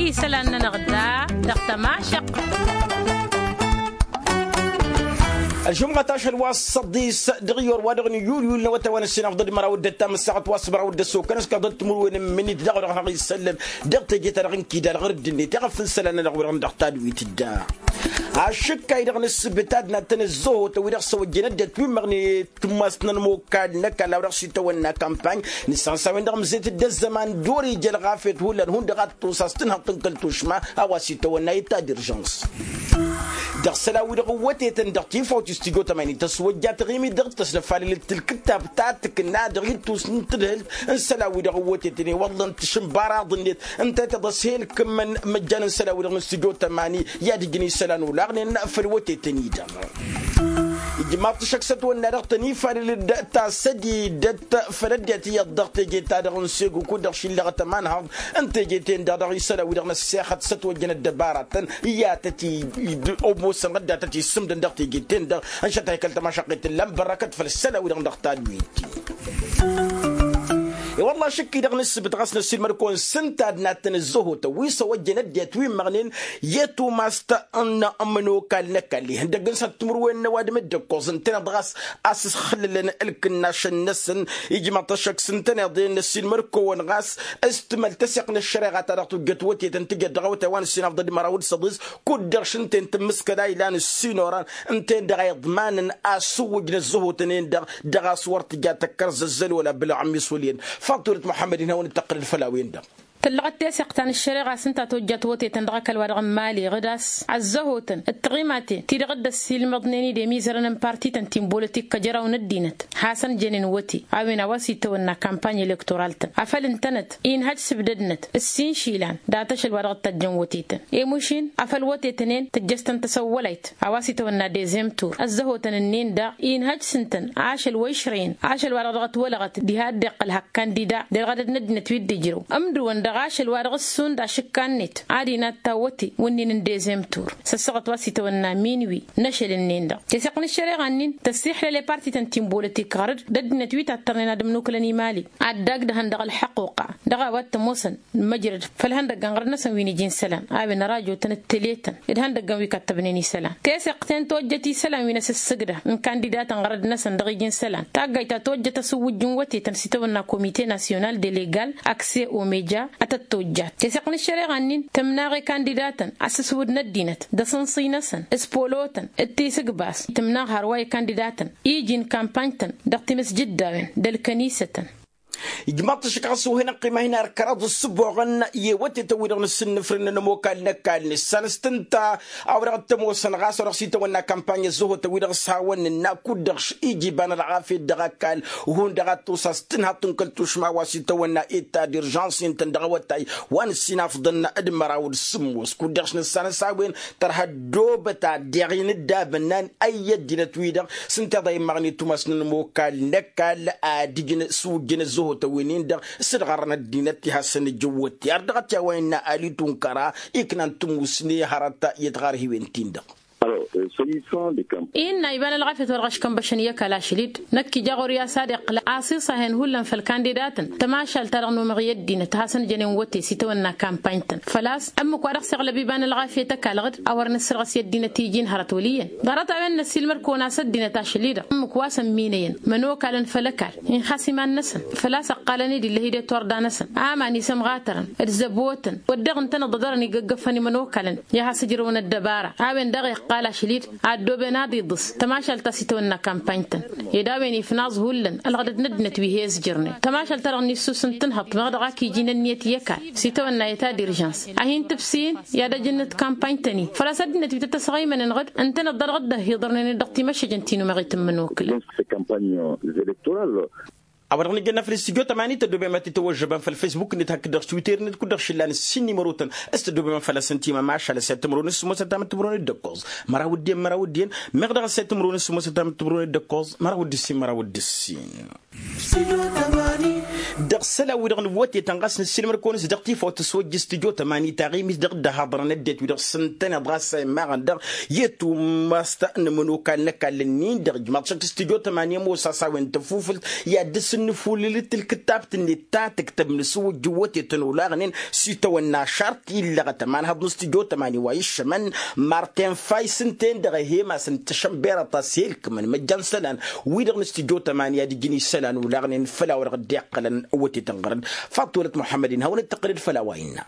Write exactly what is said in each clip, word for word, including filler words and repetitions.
Isălan-nănăɣ da dăɣ-tămašăqt. Ălžumɣăt ašăl wa s-săḍis dăɣ-iyyăr wa dăɣ-nǝyyulyul n-awătay wa n-ǝssin afḍăl d-măraw d-ăttam ăssaɣăt wa s-măraw d-ăssokăn s-kăḍăt timǝrwen n-imǝnit daɣ-wăr dăɣ-isăllăm dăɣ-teje-ta-dăɣ n-kida ălɣăr dd-net iɣăf n-isălan-nănăɣ wi-dăɣ n-dăɣ tadwit da. Ašǝkkay-dăɣ n-ǝssǝbǝt ad-nattăn ăzzăhotăn wi-dăɣ s-ăwăjjăn ăddinăt wi n-imăɣnet tumast n-ănmokal n-ăkall a-wa dăɣ-s itawănna kampany. Nǝssan s-a-wen-dăɣ ămzet-dd ăzzăman d-ori ija ălɣafyăt hullan hundăɣ ad-tusas tǝnhăḍt n-kăl-tušma a-wa s-itawănna eta d-irjăns. Dăɣ-isălan-wi-dăɣ ǝwwătetăn dăɣ-tifawt i-studyo tămani tăswăjja taɣimit dăɣ-tăsnăfalălăt tǝlkǝttab ta tǝkna dăɣ-ittus n-tǝdhǝlt n-isălan-wi-dăɣ ǝwwătetăn i-wălla n-tašǝnbaraḍ-net ǝnta i-tăḍăshel kǝmmăn măjjan n-isălan-wi-dăɣ n-studyo tămani i-ad-ǝjǝn isălan olaɣnen făll-wătetăn-i-dăɣ. Ijmaḍ-t ašăk s-ătwănna dăɣ-tăn-ifalăl-dd tasădidăt făll-ăddinăt iyyăḍ dăɣ-teje-ta-dăɣ n-segu kud-dăɣ šillăɣăt ămanhăḍ n-teje-ten-dăɣ dăɣ-isălan-wi-dăɣ n-ăssexăt s-ătwăjjăn ăddăbaratăn i-ad-tăt-i-dd-omosăn ɣădda tăt-issǝmdăn dăɣ-teje-ten-dăɣ. Ănšăt a ikăl tămašăqqet n-lănbărrăkăt făll-isălan-wi-dăɣ n-dăɣ tadwit. I-wălla ašǝkki-dăɣ n-ǝssǝbǝt ɣas n-ăssiilmăd-kăwăn s-ǝnta ad-nattăn ăzzăhotăn wi s-ăwăjjăn ăddinăt wi ǝmmăɣnen i-tumast n-ămănokal n-ăkall ihăndăgg n-săr timǝrwen n-ăwadǝm d-ǝkkoẓ ǝntăneḍ ɣas a-s ǝsxǝllǝlăn ǝlkǝnnašăn-năsăn. Ijmaḍ-t ašăk s-ǝntăneḍ-en n-ăssiilmăd-kăwăn ɣas s-tǝmăl tăseɣt n-ăššăreɣa ta dăɣ-tujjăt wătetăn tǝjăt dăɣ-awătay wa n-ǝssin afḍăl d-măraw d-săḍis kud-dăɣ šǝnta-en tǝmmǝskăd a ilan ǝssin oran ǝnta-en-dăɣ a iḍmanăn a ăsǝwwǝjăn ăzzăhotăn-en-dăɣ dăɣ-a-s wăr tǝja tăkkăr zăzzăl wăla bǝlɣămmis wăl' iyyăn. Faḍt turăt muḥămmăd-in hawăn-dd-tăqqǝlăd făll-a-wen-dăɣ. Tǝllăɣăt teseɣt ta n-ăššăreɣa s-ǝnta tojjat wătetăn dăɣ-ăkall wa dăɣ-n mali ɣǝd a-s ăzzăhotăn d-tiɣimaten ti-dăɣ dd-ăssiilmăḍnen-dd i-mizărăn n-partităn ti n-bolătik kăjăraw n-ăddinăt hasăn-jănen wăte a-wen a-wa s-itawănna kampany elektoral-tăn afăl ǝntănăt inhăj s-ǝbdădnăt ǝssin išilan dat-ašăl wa dăɣ-t tăjjăn wătetăn i-mušin afăl wătetăn-en tǝjjăs-tăn tăsăwwălayt a-wa s-itawănna dezem tur ăzzăhotăn-ǝnnin daɣ inhăj s-ǝntăn ašăl wa išrăyăn ašăl wa dăɣ-dăɣ-t wălăɣăt diha dd-iqqăl hak kandida d-ălɣădăd n-ăddinăt wi dd-ijrăw ǝmdǝwăn dăɣ-ašăl wa dăɣ-ǝssun d-ašǝkka-net ad-inatta wăte wǝnnin n-dezem tur săssăɣăt wa s-itawănna minwi n-ašăl-ǝnnin-dăɣ teseɣt n-ăššăreɣa-nin tăssiixlăle partităn ti n-bolătik ɣărăd d-ăddinăt wi tattărnen ad-ămnukǝlăn i-mali ad-dd-agdăhăn dăɣ-ălḥăquqa dăɣ-a-wa t-ămoosăn n-măjrăd făll-ihăndăgg n-ɣărăd-năsăn wi n-iji n-isălan a-wen ărajotăn d-tele-tăn d-ihăndăggăn wi kattăbnen isălan teseɣt-en tojjăt isălan wi n-asǝssǝgdăh n-kandidatăn ɣărăd-năsăn dăɣ-iji n-isălan taggayt ta tojjăt asǝwwǝjj n-wătetăn s-itawănna komite nasyonal de legal akse omeja ad-tăt-tojjat teseɣt n-ăššăreɣa-nin tǝmnaɣ i-kandidatăn asǝswǝd n-ăddinăt d-asǝnṣǝy-năsăn s-polotăn d-tisǝgbas tǝmnaɣ hărwa i-kandidatăn iji n-kampany-tăn dăɣ-timǝsjǝddawen d-ălkănisătăn. Ijmaḍ-t ašăk ɣas ohăn ăqqima hin-ar kăraḍ ǝssǝboɣăn i-wătetăn-wi-dăɣ n-asǝnnǝfrǝn n-ămokal n-ăkall nǝssan s-tǝnta a-wa dăɣ-t ămoosăn ɣas wa dăɣ-s itawănna kampany ăzzăhotăn-wi-dăɣ s-hawăn-nǝnna kud-dăɣ š-iji iba n-ălɣafyăt dăɣ-ăkall hundăɣ ad-tosa s-tǝnhăḍt n-kăl-tušma wa s-itawănna eta d-irjăns-intăn dăɣ-awătay wa n-ǝssin afḍăn d-măraw d-sǝmmos kud-dăɣ š-nǝssan s-a-wen tărha ăddoobăt ad-deɣ-in dd-abǝnnan ăyy ăddinăt-wi-dăɣ s-ǝnta iḍa immăɣni tumast n-ănmokal n-ăkall ad-ǝjǝn s-wǝjjǝn ăzzăhotăn-win-in-dăɣ s-dd-ɣărrăn ăddinăt ti hasăn-ǝjǝn wătte ar dăɣ-t i-a-wa innă ali tunkăra iknan tǝmmusne hărăt i-tiɣarhiwen-tin-dăɣ. Innă iba n-ălɣafyăt wa dăɣ-ăškănbăšăn i-ăkall ašăl-dd năkk ija ɣur-i a-s ad-iqqǝl asiṣahen hullan făll-kandidatăn tămašalt-ta-dăɣ n-umăɣ i-ăddinăt hasăn-jănen wăte s-itawănna kampany-tăn făl-a-s ǝmmǝk wa dăɣ-s iɣlăb iba n-ălɣafyăt ăkall ɣǝd a wăr nǝssărɣǝs i-ăddinăt iji n-hărăt wăl' iyyăn ḍarăt a-wen n-ăssiilmăd-kăwăn a-s ăddinăt ašăl-i-dăɣ ǝmmǝk wa s-ămminăyăn mănokalăn făll-ăkall inxas iman-năsăn făl-a-s ăqqalăn-dd ill'-e-hi d-iturda-năsăn aman isămɣatărăn d-zăbotăn wădden ǝntăneḍ ăḍărăn igăggăfăn imănokalăn i-ad-has-ǝjrăwăn ăddăbara a-wen daɣ iqqal ašăl-dd a ăddooben ad-iḍǝs tămašalt ta s-itawănna kampany-tăn ed a-wen ifnaẓ hullan ălɣădăd n-ăddinăt wi he-ăzjărnen tămašalt-ta-dăɣ n-issus n-tǝnhăḍt meɣ dăɣ-ak iji n-ănniyăt i-ăkall s-itawănna eta d-irjăns a hin-tǝbsǝyǝn i-ad-ăj n-kampany-tăn-in făl-a-s ăddinăt wi tăt-ăsɣăymănen ɣǝd ǝntăneḍ-dăɣ dd-ăhiḍărnen-dd dăɣ-timăššăjăn ti n-umăɣit n-imănokǝlăn. A-wa-dăɣ nǝjănna făll-studyo tămani tăddoobem ad-t-tăwăžžăbăm făll-facebook-net hakd-dăɣ s-twitter-net kud-dăɣ šǝllan ǝssin n-imărotăn s-tăddoobem făll-asăn timămašal ăssayăt timǝrwen s-sǝmmosăt tamǝttǝmǝrwen d-ǝkkoẓ măraw d-iyyăn măraw d-iyyăn meɣ dăɣ-ăssayăt timǝrwen s-sǝmmosăt tamǝttǝmǝrwen d-ǝkkoẓ măraw d-ǝssin măraw d-ǝssin. Dăɣ-isălan-wi-dăɣ n-wătetăn ɣas nǝssilmăr-kăwăn-s dăɣ-tifawt s-wăjj s-tijo tămani taɣimit dăɣ-dd-ăhaḍărăn ăddinăt-wi-dăɣ s-ǝntăneḍ ɣas a immaɣăn dăɣ-i tumast n-imănokal n-ăkall-ǝnnin-dăɣ ijmaḍ šăkk s-tijo tămani ămoos a-s a-wen tăfufǝlt i-ad-dăr-s ǝnnǝfulǝlǝt ǝlkǝttabt-net ta tǝktăb n-asǝwǝjjǝw wătetăn olaɣnen s-itawănna šart illăɣăt ămanhăḍ n-s tijo tămani wa iššămăn martin fay s-ǝnta-en-dăɣ ăhem-asăn tăšănberăt a-s elkǝmăn măjjan isălan wi-dăɣ n-s tijo tămani ad-ǝjǝn isălan olaɣnen făll-a-wa dăɣ-dd-e iqqălăn wătetăn ɣărăn. Faḍt wălăt muḥămmăd-in hawăn-dd-tăqqǝlăd făll-a-wa innă.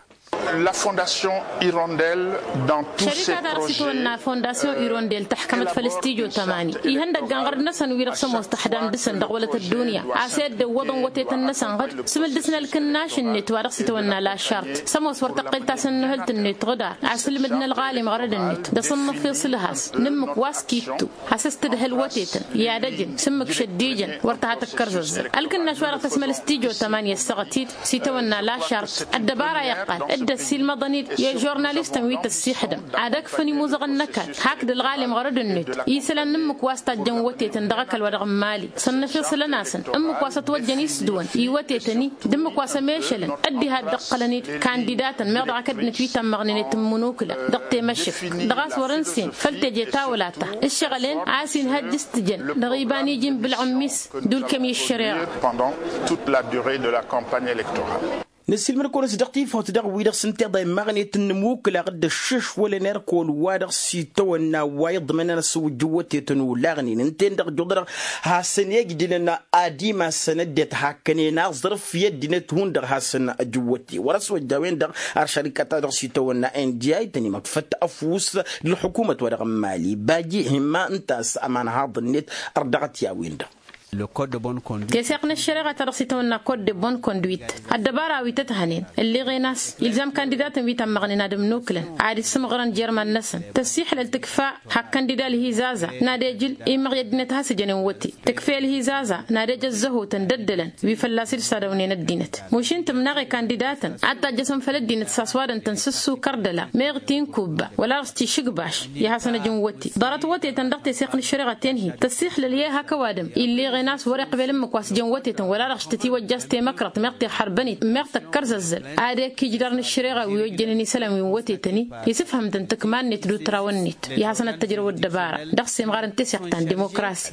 La fondation hirondel dans tous ses projets. Šărika-ta-dăɣ s-itwănna fondasyon hirondel tăḥkămăt făll-s tijo tămani ihăndăggan ɣărăd-năsăn wi-dăɣ s-ămoos tăḥdam dăɣ-săn dăɣ-wălăt ăddunya a-s edden iwwăḍăn wătetăn-năsăn ɣǝd s-mǝldǝsna ălkǝnnaš-net wa dăɣ-s itwănna lašart s-ămoos wăr tăqqel tasǝnnǝhǝlt-net ɣǝdar a-s ǝlmǝdna ălɣalim ɣărăd-net d-asǝnnăfiṣ ǝlhas n-ǝmmǝk wa s-kittu a-s ăstǝdhǝl wătetăn i-ad-ăjǝn s-ǝmmǝk šăddijăn wăr tăha tăkkărzăzzăl ălkǝnnaš wa dăɣ-tăsmăl s-tijo tămani ăssăɣăt-dd s-itawănna lašart ăddăbara iqqal dd-ăssiilmăḍăn-dd i-žurnalistăn wi tăssiixdăm ad-ăkfăn imuzăɣăn n-ăkall hakd ălɣalim ɣărăd-net isălan n-ǝmmǝk wa s-tajjăn wătetăn dăɣ-ăkall wa dăɣ-n mali sănnăfiṣǝlăn-asăn ǝmmǝk wa s-ătwăjjăn isǝdwăn i-wătetăn-i d-ǝmmǝk wa s-ămešălăn ăddihad d-ǝqqălăn-dd kandidatăn meɣ dăɣ-ak ăddinăt wi tammăɣnen i-tǝmmǝnukǝla dăɣ-temăšǝkt dăɣ-a-s wăr-ǝnsen făll-teje tawăla-ta ǝššăɣǝl-en a ăsinhăjj s-tǝjăn dăɣ-iba n-iji n-bǝlɣǝmmis d-ulkăm i-ăššăreɣa. Pendant toute la durée de la campagne électorale. Năssiilmăd-kăwăn-s dăɣ-tifawt dăɣ-wi-dăɣ s-ǝnta iḍa immaɣnet n-inǝmukǝlaɣ d-ăššǝšwălăn erk olwa-dăɣ s-itawănna wa iḍmănăn ăswǝjjǝw wătetăn olaɣnen ǝnta-en-dăɣ ǝjjuḍădăɣ hasăn-ejdǝlăn ad-imassăn ăddinăt hakkănen aẓrǝf i-ăddinăt hundăɣ hasăn-ăjǝwwăte wăr-ăswăjja a-wen-dăɣ ar šărikăt-ta-dăɣ s-itawănna n d i tăn-imăḍfăt ăfuss d-ălḥukumăt wa dăɣ-n mali baji himma ǝnta a-s ămanhaḍ-net ărdăɣăt i-a-wen-dăɣ. Teseɣt n-ăššăreɣa-ta-dăɣ s-itawănna kot de bon conduit ăddăbara wi tăt-hănen ǝlleɣen a-s ilzam kandidatăn wi tammăɣnen ad-ǝmnukǝlăn ad-issǝmɣărăn jer-iman-năsăn tăssiiḥlăl tǝkfa hak kăndida ălhizaza n-ad-ejǝl immăɣ i-ăddinăt a has-ǝjănen wăte tǝkfa i-ălhizaza n-ad-ej ăzzăhotăn d-ăddălăn wi fălla-s dd-sadăwnen ăddinăt mašin tǝmnaɣ i-kandidatăn ad-tajjăsăn făll-ăddinăt s-aswadăn-tăn s-ǝssukăr d-ăla meɣ tinkubba wăla dăɣ-s tišǝgbaš i-ad-hasăn-ăjǝn wăte ḍarăt wătetăn dăɣ-teseɣt n-ăššăreɣa ten-hi tăssiixlăl i-hak ăwadǝm ill'-eɣen a-s wăr-iqbel ǝmmǝk wa s-jăn wătetăn wăla dăɣ-s tătiwăjja s-temăkrăḍt meɣ tiɣhărbăn-it meɣ tăkkărzăzzăl ad-ekk ijdar n-ăššăreɣa wi ojjănen isălan wi n-wătetăn-i isǝfhǝm-tăn tǝkma-net d-utraw-net i-ad-hasăn-ăttăjrăw ăddăbara dăɣ-semɣar n-teseɣt ta n-dimokrasi.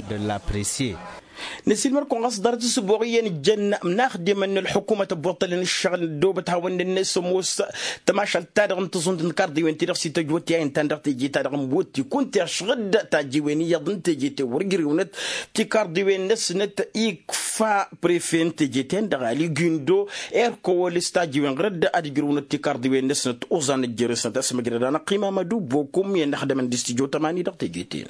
Năsiilmăr-kăwăn ɣas ḍarăt s-ăboɣ iyyăn ǝjjăn n-inaxdimăn n-ălḥukumăt ăbbuṭṭălăn ǝššăɣǝl ăddoobăt hawăn-dd-nǝsǝmmos tămašalt-ta-dăɣ n-taẓunt n-tikarḍiwen-ti-dăɣ s-ităjwăt i-a intan dăɣ-teje-ta-dăɣ n-iwwǝtti kunta išɣǝd tajiwen iyyăḍ n-teje-ten wăr-ǝjrǝwnăt tikarḍiwen-năsnăt ikfa prefe n-teje-ten-dăɣ ali gundo erkăwăl s-tajiwen ɣur-dd ad-ǝjrǝwnăt tikarḍiwen-năsnăt oẓan ăjjărăsnăt asmăjrăd-anăɣ imam ădubokum i-ănăxdămăn d-s tijo tămani dăɣ-teje-ten.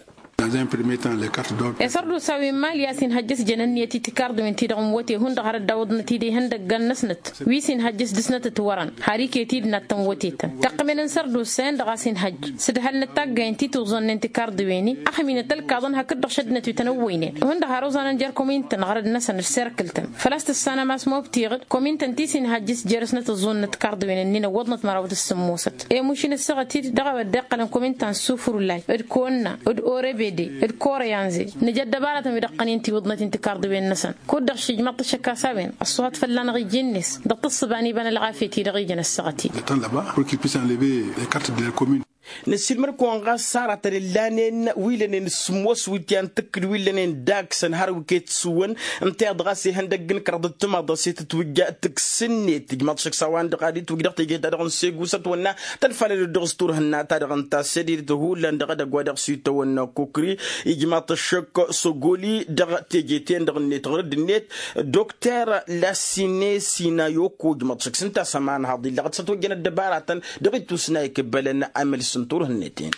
Esărdusa wi n-mali a-s inhăjjăs jăn ǝnniyăt i-tikarḍiwen-ti-dăɣ n-wăte hundăɣ har dd-awǝḍnăt-dd ihăndăggan-năsnăt wi s-inhăjjăs dăr-snăt ǝtwărăn har iket-dd nattăn wătetăn tăqqǝmen n-sărdusa-en-dăɣ a-s inhăjj s-ǝdhălnăt taggayen ti tuẓẓănnen tikarḍiwen-i ăxminăt ălkaḍăn hakd-dăɣ šăddinăt wi tăn-ăwwăynen hundăɣ har oẓanăn jer-komin-tăn ɣărăd-năsăn d-serkǝl-tăn făl-a-s tǝssanăm a-s mobtiɣ-dd komin-tăn ti s-inhăjj s-jer-snăt ǝẓẓunnăt tikarḍiwen-ǝnnin ăwwăḍnăt măraw d-sǝmmosăt i-mušin ăssaɣăt-dd dăɣ-a-wa dd-iqqălăn komin ta n-sufurlay d-konna d-orebede d-koreyanze nǝja ăddăbaratăn wi dăɣ-tăn-in-tiwǝḍnăt-in tikarḍiwen-năsăn kud-dăɣ šijmaḍ-t ăššăk a-s a-wen ăṣṣuhat fălla-năɣ iji-net dăɣ-tǝssǝba n-iba n-ălɣafyăt-i-dăɣ ijăn ăssaɣăt-dd. Năssiilmăr-kăwăn ɣas s-aratăn ǝllanen wi lănen s-sǝmmos wi t-yan-tǝkkǝl wi lănen daksăn har wi ket-sǝwwăn ǝnta-i-dăɣ a-s ihăndăgg n-kăraḍ d-timaḍ a-s itǝtwǝjja tǝks-net tǝjmaḍ šăkk s-a-wa-dăɣ ad-itwǝj dăɣ-teje-ta-dăɣ n-segu s-ătwănna tănfalăd-dd dăɣ-s turhǝnna-ta-dăɣ ǝnta a-s ed hullan dăɣ-edăgg wa dăɣ-s itawănna kukri ijmaḍ-t ăššăk sogoli dăɣ-teje-ten-dăɣ-net ɣur-dd-net dokter lasine sinayoko ijmaḍ-t šăkk s-ǝnta a-s ămanhaḍ illăɣăt s-ătwăjjăn ăddăbaratăn dăɣ-ittusna ikǝbbălăn amǝls n-turhǝnnet-en.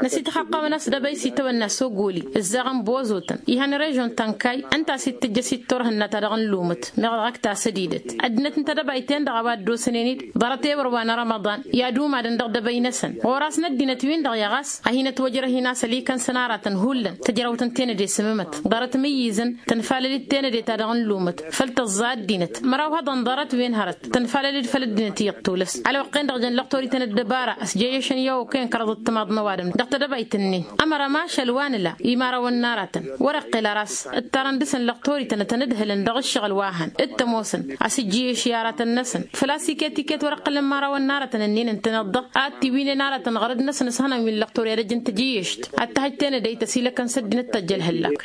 Năsităxăqqawăn a-s dăbăy s-itawănna sogoli ǝzzaɣăn bozotăn ihăn režon ta n-kay ǝnta a-s ittǝjjăs i-turhǝnna-ta-dăɣ n-lumǝt meɣ dăɣ-ak tasădidăt ăddinăt n-tedăbayt-en-dăɣ a-wa dd-osănen-dd ḍarăt ewăr wa n-rămăḍan i-ad-umadăn dăɣ-dăbăy-năsăn ɣur-as n-ăddinăt-win-dăɣ i-ɣas a hin-ătwăjrăh-in a-s ălikăn săn-aratăn hullan tăjrăwt n-tenăde s-ǝmmǝmăt ḍarăt imǝyyǝzăn tănfalăl-dd tenăde-ta-dăɣ n-lumǝt făl tăẓẓa ăddinăt măraw ihăḍăn ḍarăt-wen hărăt tănfalăl-dd făll-ăddinăt iyyăḍ tulăs ălwăqq-en-dăɣ jăn lăqtor ităn ăddăbara ăsjăjăšăn i-okăyăn. ăḍ ǝttǝmaḍ n-ăwadǝm dăɣ-tedăbayt-nin. Ămăra mašal wa nǝla imărawăn n-aratăn wăr-iqqel ara a-s ǝttarăn dăɣ-săn lăqtor-ităn ad-tăn-ǝdhǝlăn dăɣ-ǝššăɣǝl wa hăn t-ămoosăn a-s ǝjjǝyǝš i-aratăn-năsăn. Făl-a-s iket-iket wăr-iqqǝlăn imărawăn n-aratăn ǝnnin ǝntăneḍ-dăɣ ad-t-iwǝynen aratăn ɣărăd-năsăn s-hănan wi n-lăqtor i-ad-ăj n-tejǝyyešt ad-t-hăjt tenădăyt ăsilăkăn s-ăddinăt tăjjăl hăllak.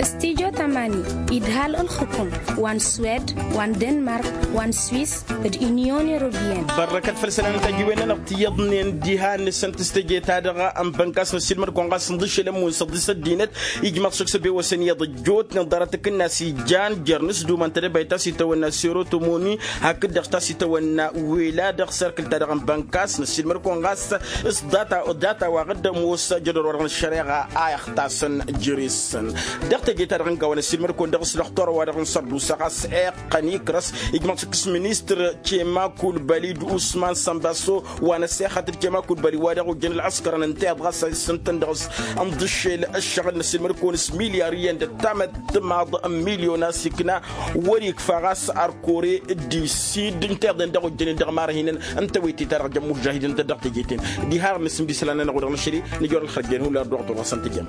Studyo tamani idhal ǝlxǝkum wa n-swed wa n-denmark wa n-swis d-unyon europeyăn. Bărrăkăt făll-isălan n-tajiwen-nănăɣ ti iyyăḍnen diha-năsăn tǝstăje-ta-dăɣ n-bănkas n-ăssiilmăd-kăwăn ɣas n-iḍǝššel ămmun s-ăḍḍis ăddinăt ijmaḍ šăkk s-ăbewăsăn iyyăḍ ăjjootnen ḍarăt-t-kǝnna a-s ijan jer-inǝsdumăn tedăbayt ta s-itawănna serotomoni hakd-dăɣ ta s-itawănna wela dăɣ-serkǝl-ta-dăɣ n-bănkas n-ăssiilmăd-kăwăn ɣas s-data wa ɣǝddăm oss jădor-wa-dăɣ n-ăššăreɣa a ixtasăn jere-săn. Dăɣ-teje-ta-dăɣ n-kăwăn ăssiilmăd-kăwăn dăɣ-s lăxtor-wa-dăɣ n-sărdusa ɣas iqqăn ikras ijmăḍ šăkk s-ministăr cema kulbali d-usman sănbaso wa n-ăssexăt d-cema kulbali wa dăɣ-ojjăn ălɣăskărăn ǝnta iyyăḍ ɣas a issǝntăn dăɣ-s ǝnḍǝššel ǝššăɣǝl n-ăssiilmăd-kăwăn s-milyar iyyăn d-ăttamăt timaḍ n-milyon a-s ikna wăr-ikfa ɣas ărkore d-isid ǝnta iyyăḍen dăɣ-ojjănen dăɣ-imarhinăn n-tawăyte-ta-dăɣ jămmur žahidăn-tăn dăɣ-teje-ten. Diha-dăɣ n-asǝm d-isălan-nănăɣ wa dăɣ-năšăl-i nǝjor ălxăjjen hullan ăddoɣător ɣas ăntăjăm.